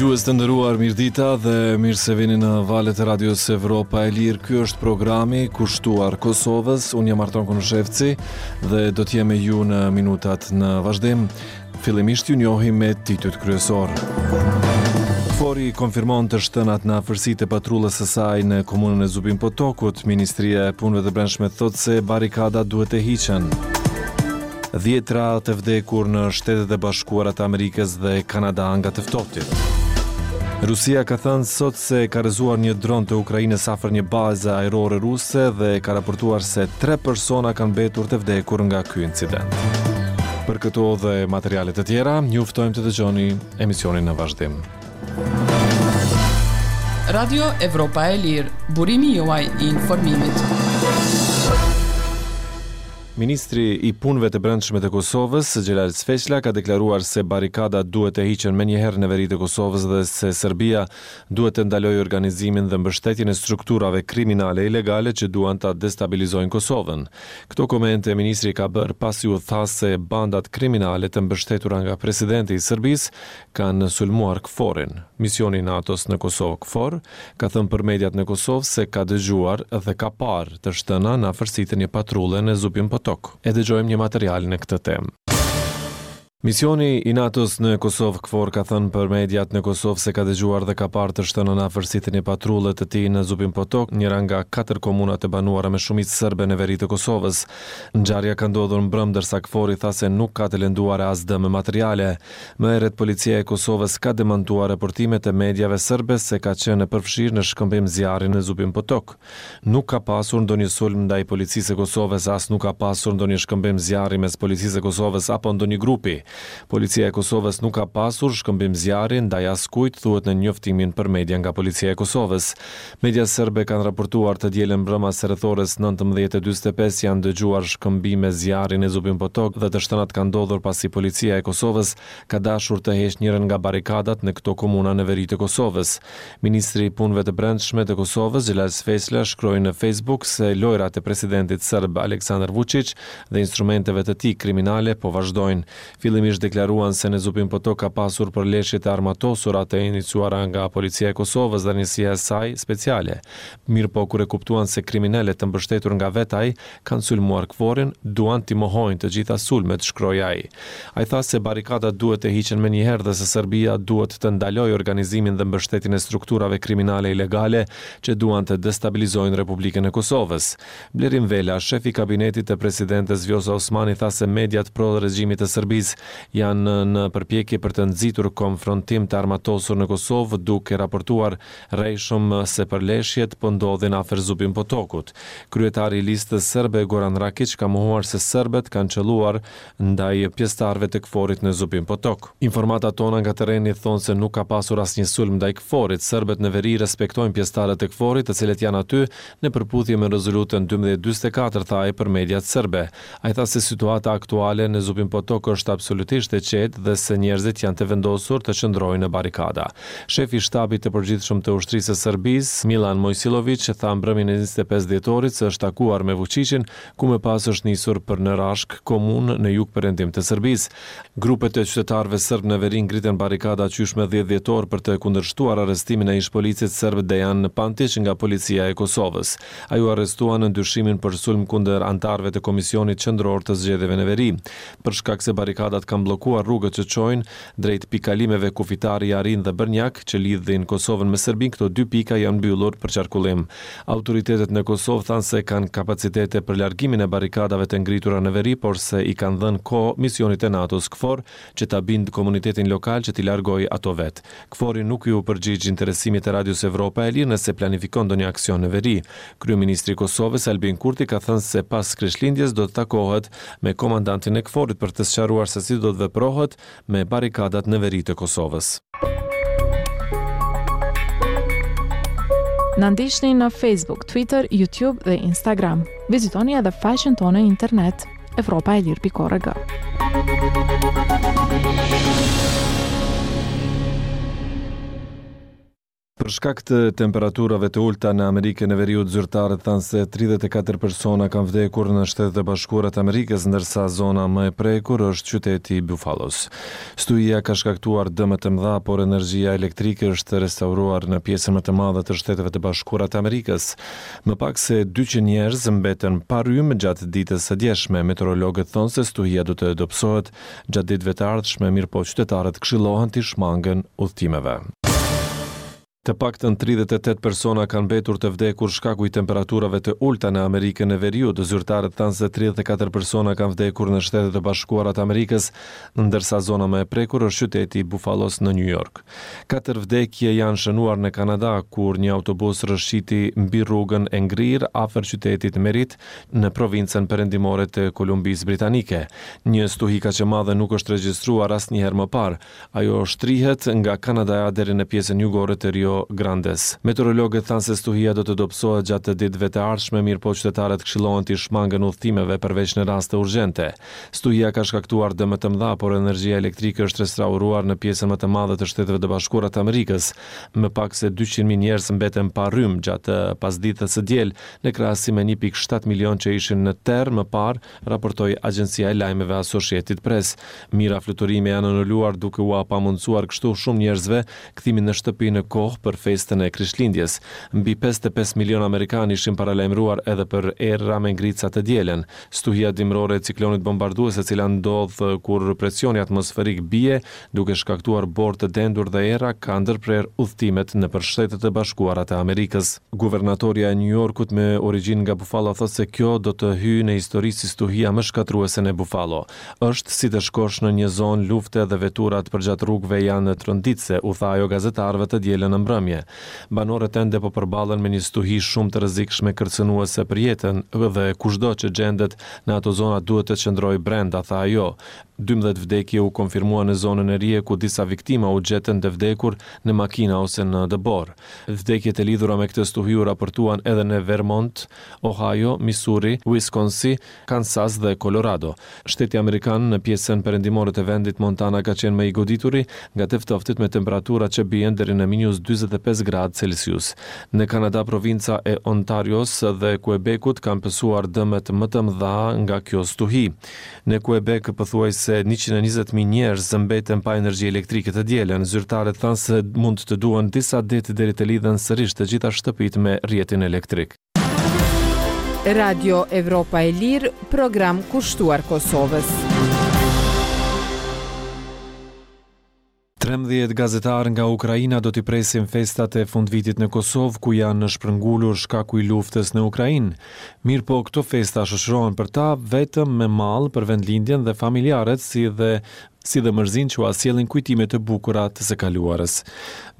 Dëgjues të nderuar, mirëdita dhe mirë se vini në valët e Radios Evropa e Lirë. Ky është programi kushtuar Kosovës. Unë jam Arton Konushevci dhe do të jem me ju në minutat në vazhdim. Fillimisht ju njohim me titujt kryesorë. KFOR-i konfirmon të shtënat në afërsi të patrullës së saj në komunën e Zubin Potokut. Ministria e Punëve të Brendshme thotë se barrikadat duhet të hiqen. Dhjetra të vdekur në Shtetet e Bashkuara të Amerikës dhe Kanada nga të ftohtit. Rusia ka thënë sot se ka rrëzuar një dron të Ukrainës afër një baze ajrore ruse dhe ka raportuar se tre persona kanë mbetur të vdekur nga ky incident. Për këto dhe materiale të tjera, ju ftojmë të dëgjoni emisionin në vazhdim. Radio Evropa e Lirë, burimi juaj i informimit. Ministri i Punëve të Brendshme të Kosovës, Xhelal Sveçla, ka deklaruar se barrikadat duhet të hiqen menjëherë në veri të Kosovës dhe se Serbia duhet të ndalojë organizimin dhe mbështetjen e strukturave kriminale ilegale që duan ta destabilizojnë Kosovën. Këto komente ministri i ka bërë pasi u tha se bandat kriminale të mbështetura nga presidenti i Serbisë kanë sulmuar KFOR-in. Misioni i NATO-s në Kosovë, KFOR, ka thënë për mediat në Kosovë se ka dëgjuar dhe ka parë të shtëna në afërsi të një patrulle në Zubin Potok. E dëgjojmë një material në këtë temë. Misioni i NATO-s në Kosovë, KFOR, ka thënë për mediat në Kosovë se ka dëgjuar dhe ka parë të shtëna në afërsi të një patrulle të tij në Zubin Potok, njëra nga katër komunat e banuara me shumicë serbe në veri të Kosovës. Ngjarja ka ndodhur mbrëmë ndërsa KFOR-i tha se nuk ka të lënduar e as dëme materiale. Më herët Policia e Kosovës ka demantuar raportimet e mediave serbe se ka qenë e përfshirë në shkëmbim zjarri në Zubin Potok. Nuk ka pasur ndonjë sulm ndaj Policisë së Kosovës as nuk ka pasur ndonjë shkëmbim zjarri mes Policisë së Kosovës apo ndonjë grupi. Policia e Kosovës nuk ka pasur shkëmbim zjarri ndaj askujt, thuhet në njoftimin për media nga Policia e Kosovës. Mediat serbe kanë raportuar të dielën mbrëma se rreth orës 19:45 janë dëgjuar shkëmbime zjarri në Zubin Potok dhe të shtënat kanë ndodhur pasi policia e Kosovës ka dashur të heqë njërën nga barrikadat në këto komuna në veri të Kosovës. Ministri i Punëve të Brendshme të Kosovës, Xhelal Sveçla shkroi në Facebook se lojërat e presidentit serb Aleksandar Vuçiq dhe instrumenteve të tij kriminale po vazhdojnë. Fillimisht deklaruan se në Zubin Potok ka pasur përleshje të armatosura të iniciuara nga Policia e Kosovës dhe njësia e saj speciale. Mirëpo kur e kuptuan se kriminelët të mbështetur nga vetë ai kanë sulmuar KFOR-in, duan t'i mohojnë të gjitha sulmet, shkroi ai. Ai tha se barrikadat duhet të hiqen menjëherë dhe se Serbia duhet të ndalojë organizimin dhe mbështetjen e strukturave kriminale ilegale që duan të destabilizojnë Republikën e Kosovës. Blerim Vela, shef i kabinetit të presidentes Vjosa Osmani tha se mediat pro regjimit të Serbisë janë në përpjekje për të nxitur konfrontim të armatosur në Kosovë duke raportuar rrejshëm se përleshjet po ndodhin afër Zubin Potokut. Kryetari i Listës Serbe Goran Rakiq ka mohuar se serbët kanë qëlluar ndaj pjesëtarëve të KFOR-it në Zubin Potok. Informatat tona nga terreni thonë se nuk ka pasur asnjë sulm ndaj KFOR-it. Serbët në veri respektojnë pjesëtarët e KFOR-it, të cilët janë aty në përputhje me rezolutën 1244, tha ai për mediat serbe. Ai tha se situata aktuale në Zubin Potok është absolutisht e qetë dhe se njerëzit janë të vendosur të qëndrojnë në barrikada. Shefi i Shtabit të Përgjithshëm të Ushtrisë së Serbisë, Millan Mojsiloviq, tha mbrëmjen e 25 dhjetorit se është takuar me Vuçiqin ku më pas është nisur për në Rashkë, komunë në jugperëndim të Serbisë. Grupet e qytetarëve serbë në veri ngritën barrikada qysh më 10 dhjetor për të kundërshtuar arrestimin e ish-policit serb Dejan Pantiq nga Policia e Kosovës. Ai u arrestua nën dyshimin për sulm kundër anëtarëve të Komisionit Qendror të Zgjedhjeve në Veri. Për shkak se barrikadat kanë bllokuar rrugët që çojnë drejt pikëkalimeve kufitare Jarinë dhe Bërnjak, që lidhin Kosovën me Serbinë, këto dy pika janë mbyllur për qarkullim. Autoritetet në Kosovë thanë se kanë kapacitete për largimin e barrikadave të ngritura në veri, por se i kanë dhënë kohë misionit të NATO-s KFOR që ta bindë komunitetin lokal që t'i largojë ato vetë. KFOR-i nuk iu përgjigj interesimit të Radios Evropa e Lirë nëse planifikon ndonjë aksion në veri. Kryeministri i Kosovës, Albin Kurti ka thënë se pas Krishtlindjes do të takohet me komandantin e KFOR-it për të sqaruar se si do të veprohet me barrikadat në veri të Kosovës. Na ndiqni në Facebook, Twitter, YouTube dhe Instagram. Vizitoni edhe faqen tonë në internet evropaelire.org. Për. Për shkak të temperaturave të ulëta në Amerikën e Veriut, zyrtarët thanë se 34 persona kanë vdekur në Shtetet e Bashkuara të Amerikës, ndërsa zona më e prekur është qyteti i Buffalo's. Stuhia ka shkaktuar dëme të mëdha, por energjia elektrike është restauruar në pjesën më të madhe të Shteteve të Bashkuara të Amerikës. Më pak se 200 njerëz mbetën pa rrymë gjatë ditës së djeshme. Meteorologët thonë se stuhia do të dobësohet gjatë ditëve të ardhshme, mirëpo qytetarët këshillohen t'i shmangen udhëtimeve. Të paktën 38 persona kanë mbetur të vdekur shkaku i temperaturave të ulëta në Amerikën e Veriut. Zyrtarët thanë se 34 persona kanë vdekur në Shtetet e Bashkuara të Amerikës, ndërsa zona më e prekur është qyteti i Buffalo's në New York. Katër vdekje janë shënuar në Kanada, kur një autobus rrëshqiti mbi rrugën e ngrirë afër qytetit Merritt në provincën perëndimore të Kolumbisë Britanike. Një stuhi kaq e madhe nuk është regjistruar asnjëherë më parë. Ajo shtrihet nga Kanadaja deri në pjesën jugore të Rio Grandes. Meteorologët thanë se stuhia do të dobësohet gjatë ditëve të ardhshme, mirëpo qytetarët këshillohen t'i shmangen udhëtimeve përveç në raste urgjente. Stuhia ka shkaktuar dëme të mëdha, por energjia elektrike është restauruar në pjesën më të madhe të Shteteve të Bashkuara të Amerikës. Më pak se 200.000 njerëz mbeten pa rrymë gjatë pasdites së diel, në krahasim me 1.7 milionë që ishin në terr më parë, raportoi agjencia e lajmeve Associated Press. Mijëra fluturime janë anuluar duke ua pamundësuar kështu shumë njerëzve kthimin në shtëpi në kohë për festën e Krishtlindjes. Mbi 55 milionë amerikanë ishin paralajmëruar edhe për erëra me ngrica të dielën. Stuhia dimërore e ciklonit bombardues e cila ndodh kur presioni atmosferik bie, duke shkaktuar borë të dendur dhe era, ka ndërprerë udhëtimet nëpër Shtetet e Bashkuara të Amerikës. Guvernatorja e New Yorkut me origjinë nga Buffalo thotë se kjo do të hyjë në histori si stuhia më shkatërruese në Buffalo. Është si të shkosh në një zonë lufte dhe veturat përgjatë rrugëve janë tronditëse, u tha ajo gazetarëve të dielën në mbrëmje. Banorët ende po përballen me një stuhi shumë të rrezikshme kërcënuese për jetën dhe kushdo që gjendet në ato zona duhet të qëndrojë brenda, tha ajo. 12 vdekje u konfirmuan në zonën Erie ku disa viktima u gjetën të vdekur në makina ose në dëborë. Vdekjet e lidhura me këtë stuhi u raportuan edhe në Vermont, Ohio, Missouri, Wisconsin, Kansas dhe Colorado. Shteti amerikan në pjesën perëndimore të vendit Montana ka qenë më i godituri nga të ftohtit me temperatura që bien deri në minus 45 gradë Celsius. Në Kanada, provinca e Ontarios dhe Quebecut kanë pësuar dëmet më të mëdha nga kjo stuhi. Në Quebec, pothuajse 120.000 njerëz mbeten pa energji elektrike të dielën. Zyrtarët thanë se mund të duhen disa ditë deri të lidhen sërish të gjitha shtëpitë me rrjetin elektrik. Radio Evropa e Lirë, program kushtuar Kosovës. 13 gazetarë nga Ukraina do t'i presin festat e fundvitit në Kosovë, ku janë shpërngulur shkaku i luftës në Ukrainë. Mirëpo, këto festa shoqërohen për ta vetëm me mall për vendlindjen dhe familjarët, si dhe si dhe mërzinë që ua sjellin kujtime të bukura të së kaluarës.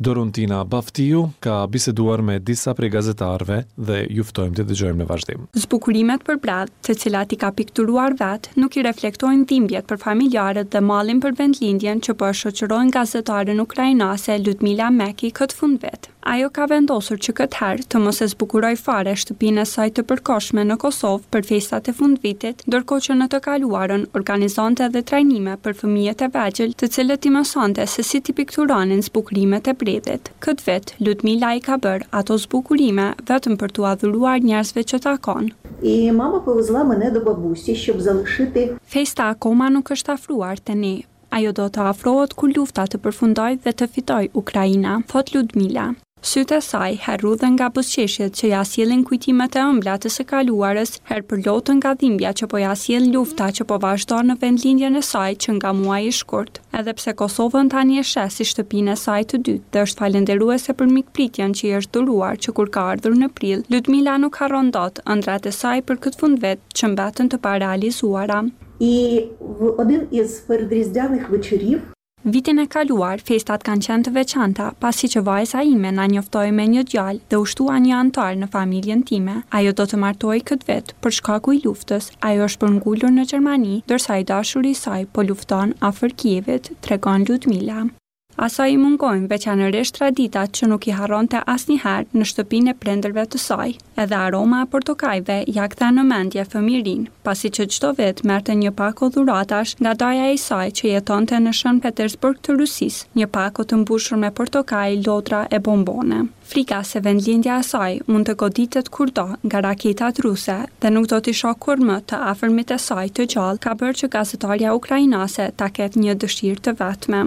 Doruntina Baftiu ka biseduar me disa prej gazetarëve dhe ju ftojmë të dëgjojmë në vazhdim. Zbukurimet për bredh, të cilat i ka pikturuar vetë, nuk i reflektojnë dhimbjet për familjarët dhe mallin për vendlindjen që po e shoqërojnë gazetaren ukrainase Ludmila Meki këtë fundvit. Ajo ka vendosur që këtë herë të mos e zbukurojë fare shtëpinë e saj të përkohshme në Kosovë për festat e fundvitit, ndërkohë që në të kaluarën organizonte edhe trajnime për fëmijët e vegjël, të cilët i mësonte se si t'i pikturonin zbukurimet e bredhit. Këtë vit, Ludmila i ka bërë ato zbukurime vetëm për t'ua dhuruar njerëzve që takon. І мама повезла мене до бабусі, щоб залишити Festa akoma nuk është afruar te ne, Ajo do të afrohet kur lufta të përfundojë dhe të fitojë Ukraina, thotë Ludmila. Sytë e saj herë rrudhen nga buzëqeshjet që ia sjellin kujtimet e ëmbla të së kaluarës, herë përloten nga dhimbja që po ia sjell lufta që po vazhdon në vendlindjen e saj që nga muaji shkurt. Edhe pse Kosovën tani e sheh si shtëpinë e saj të dytë dhe është falënderuese për mikpritjen që i është dhuruar që kur ka ardhur në prill, Ludmila nuk harron dot ëndrrat e saj për këtë fundvit që mbetën të parealizuara. І в один із передріздвяних вечорів Vitin e kaluar, festat kanë qenë të veçanta, pasi që vajza ime na njoftoi me një djalë dhe u shtua një anëtar në familjen time. Ajo do të martohej këtë vit, por shkaku i luftës, ajo është shpërngulur në Gjermani, ndërsa i dashuri i saj po lufton afër Kievit, tregon Ludmila. Asaj i mungojnë veçanërisht traditat që nuk i harronte asnjëherë në shtëpinë e prindërve të saj. Edhe aroma e portokajve ia kthen në mendje fëmijërinë, pasi që çdo vit merrte një pako dhuratash nga daja i saj që jetonte në Shën Petersburg të Rusisë, një pako të mbushur me portokaj, lodra e bombone. Frika se vendlindja e saj mund të goditet kurdo nga raketat ruse dhe nuk do t'i shohë kurrë më të afërmit e saj të gjallë ka bërë që gazetarja ukrainase ta ketë një dëshirë të vetme.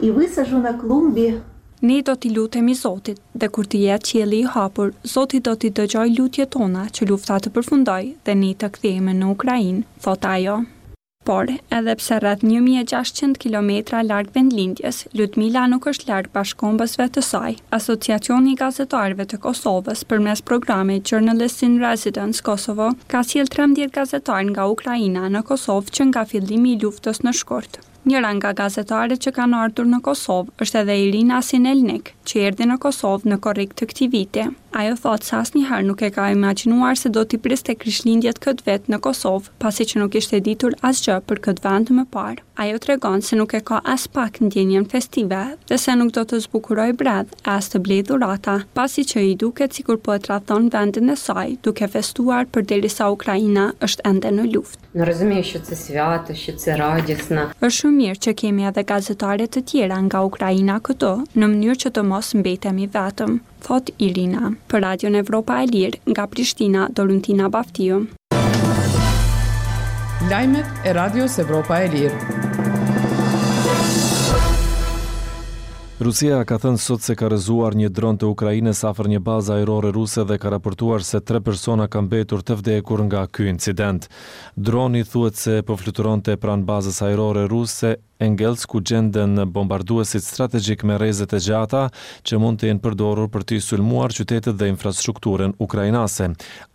I vysazhu na klumbi. Ne do t'i lutemi Zotit, dhe kur të jetë qielli i hapur, Zoti do t'i dëgjojë lutjet tona që lufta të përfundojë dhe ne të kthehemi në Ukrainë, thotë ajo. Por, edhe pse rreth 1600 kilometra larg vendlindjes, Ludmila nuk është larg bashkëkombësve të saj. Asociacioni i Gazetarëve të Kosovës përmes programit Journalists in Residence Kosovo ka sjellë 13 gazetarë nga Ukraina në Kosovë që nga fillimi i luftës në shkurt. Njëra nga gazetaret që kanë ardhur në Kosovë është edhe Irina Sinelnik, që erdhi në Kosovë në korrik të këtij viti. Ajo thotë se asnjëherë nuk e ka imagjinuar se do t'i priste Krishtlindjet këtë vit në Kosovë, pasi që nuk kishte ditur asgjë për këtë vend më parë. Ajo tregon se nuk e ka aspak ndjenjën festive dhe se nuk do të zbukurojë bredh e as të blejë dhurata, pasi që i duket sikur po e tradhton vendin e saj duke festuar përderisa Ukraina është ende në luftë. No rozumiju що це свято, що це радісно. Është shumë mirë që kemi edhe gazetare të tjera nga Ukraina këtu, në mënyrë që të mos mbetemi vetëm, thotë Irina. Për Radion Evropa e Lirë, nga Prishtina, Doruntina Baftiu. Lajmet e Radios Evropa e Lirë. Rusia ka thënë sot se ka rrëzuar një dron të Ukrainës afër një baze ajrore ruse dhe ka raportuar se tre persona kanë mbetur të vdekur nga ky incident. Droni thuhet se po fluturonte pranë bazës ajrore ruse Engels ku gjenden bombarduesit strategjikë me rreze të gjata që mund të jenë përdorur për të sulmuar qytetet dhe infrastrukturën ukrainase.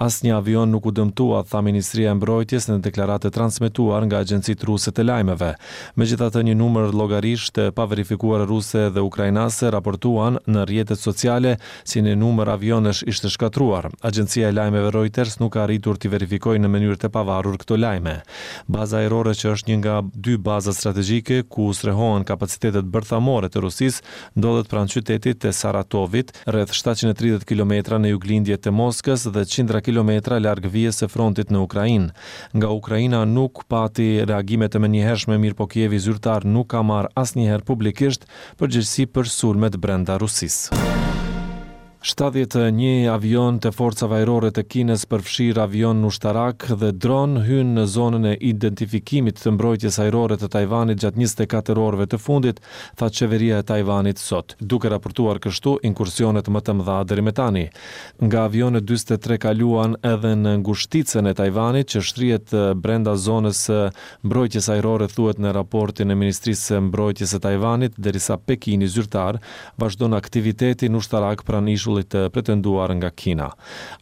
Asnjë avion nuk u dëmtua, tha Ministria e Mbrojtjes në deklaratë të transmetuar nga agjencitë ruse të lajmeve. Megjithatë, një numër llogarish të paverifikuara ruse dhe ukrainase raportuan në rrjetet sociale se një numër avionësh ishte shkatërruar. Agjencia e lajmeve Reuters nuk ka arritur t'i verifikojë në mënyrë të pavarur këto lajme. Baza ajrore që është një nga dy bazat strategjike ku strehohen kapacitetet bërthamore të Rusisë, ndodhet pranë qytetit të Saratovit, rreth 730 kilometra në juglindje të Moskës dhe qindra kilometra larg vijës së frontit në Ukrainë. Nga Ukraina nuk pati reagime të menjëhershme, mirëpo Kievi zyrtar nuk ka marrë asnjëherë publikisht përgjegjësi për sulmet brenda Rusisë. 71 avion të forcave ajrore të Kinës përfshirë avion ushtarak dhe dron hynë në zonën e identifikimit të mbrojtjes ajrore të Tajvanit gjatë 24 orëve të fundit, tha qeveria e Tajvanit sot, duke raportuar kështu inkursionet më të mëdha deri më tani. Nga avionët 43 kaluan edhe në ngushticën e Tajvanit që shtrihet brenda zonës së mbrojtjes ajrore thuhet në raportin e Ministrisë së Mbrojtjes së Tajvanit, derisa Pekini zyrtar vazhdon aktivitetin ushtarak pranë ishullit të pretenduar nga Kina.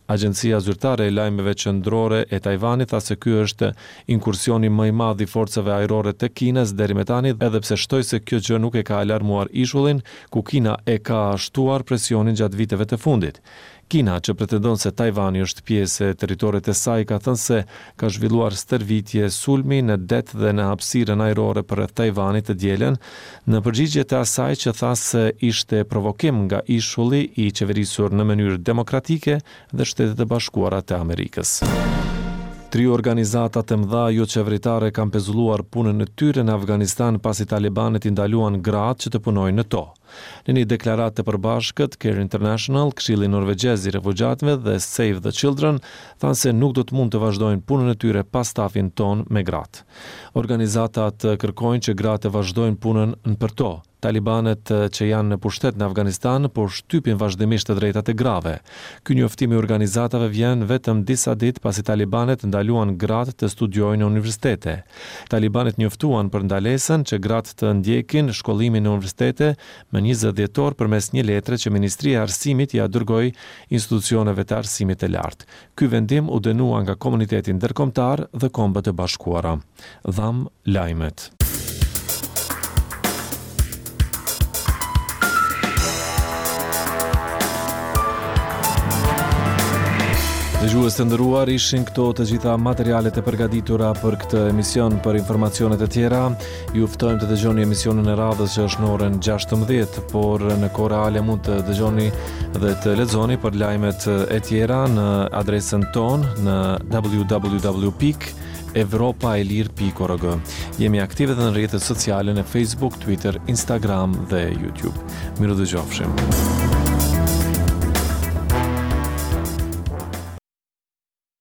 Agjencia zyrtare e lajmeve qendrore e Tajvanit tha se ky është inkursioni më i madh i forcave ajrore të Kinës deri më tani, edhe pse shtoi se kjo gjë nuk e ka alarmuar ishullin, ku Kina e ka shtuar presionin gjatë viteve të fundit. Kina, që pretendon se Tajvani është pjesë e territorit të saj, ka thënë se ka zhvilluar stërvitje sulmi në det dhe në hapësirën ajrore përreth Tajvanit të dielën, në përgjigje të asaj që tha se ishte provokim nga ishulli i qeverisur në mënyrë demokratike dhe Shtetet e Bashkuara të Amerikës. Tri organizata të mëdha joqeveritare kanë pezulluar punën e tyre në Afganistan pasi talibanët i ndaluan gratë që të punojnë në to. Në një deklaratë të përbashkët, Care International, Këshilli Norvegjez i Refugjatëve dhe Save the Children thanë se nuk do të mund të vazhdojnë punën e tyre pa stafin tonë me gratë. Organizatat kërkojnë që gratë të vazhdojnë punën në për to. Talibanët që janë në pushtet në Afganistan po shtypin vazhdimisht të drejtat e grave. Ky njoftim i organizatave vjen vetëm disa ditë pasi talibanët ndaluan gratë të studiojnë në universitete. Talibanët njoftuan për ndalesën që gratë të ndjekin shkollimin në universitete më 20 dhjetor përmes një letre që Ministria e Arsimit ia dërgoi institucioneve të arsimit të lartë. Ky vendim u dënua nga komuniteti ndërkombëtar dhe Kombet e Bashkuara. Dhamë lajmet. Dëgjues të nderuar, ishin këto të gjitha materialet e përgatitura për këtë emision. Për informacionet e tjera, ju ftojmë të dëgjoni emisionin e radhës që është në orën 16, por në kohë reale mund të dëgjoni dhe të lexoni për lajmet e tjera në adresën tonë në www.evropaelire.org. Jemi aktivë edhe në rrjetet sociale në Facebook, Twitter, Instagram dhe YouTube. Mirudëgjofshim.